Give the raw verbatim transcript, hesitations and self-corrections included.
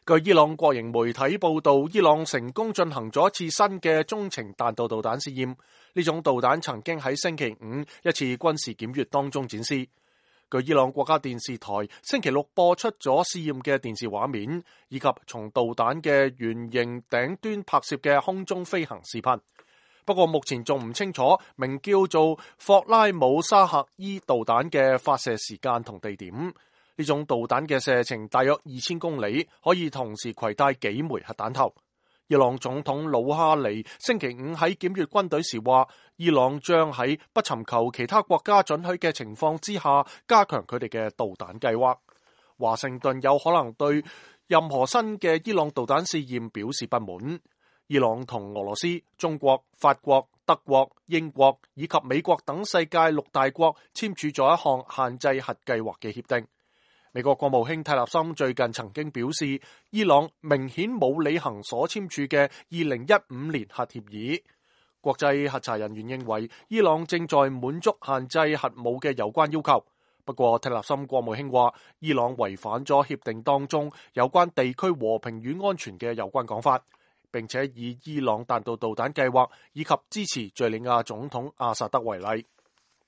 據伊朗國營媒體報道，伊朗成功進行咗一次新嘅中程彈道導彈試驗。呢種導彈曾經喺星期五一次軍事檢閱當中展示。據伊朗國家電視台星期六播出咗試驗嘅電視畫面，以及從導彈嘅圓形頂端拍攝嘅空中飛行視頻。不過目前仲唔清楚名叫做霍拉姆沙赫伊導彈嘅發射時間同地點。呢種導彈嘅射程大約二千公里，可以同時攜帶幾枚核彈頭。伊朗總統魯哈尼星期五喺檢閱軍隊時話，伊朗將喺不尋求其他國家准許嘅情況之下，加強佢哋嘅導彈計劃。華盛頓有可能對任何新嘅伊朗導彈試驗表示不滿。伊朗同俄羅斯、中國、法國、德國、英國以及美國等世界六大國簽署咗一項限制核計劃嘅協定。美國國務卿泰勒森最近曾經表示，伊朗明顯冇履行所簽署嘅二零一五年核協議。國際核查人員認為，伊朗正在滿足限制核武嘅有關要求。不過，泰勒森國務卿話，伊朗違反咗協定當中有關地區和平與安全嘅有關講法，並且以伊朗彈道導彈計劃以及支持敘利亞總統阿薩德為例。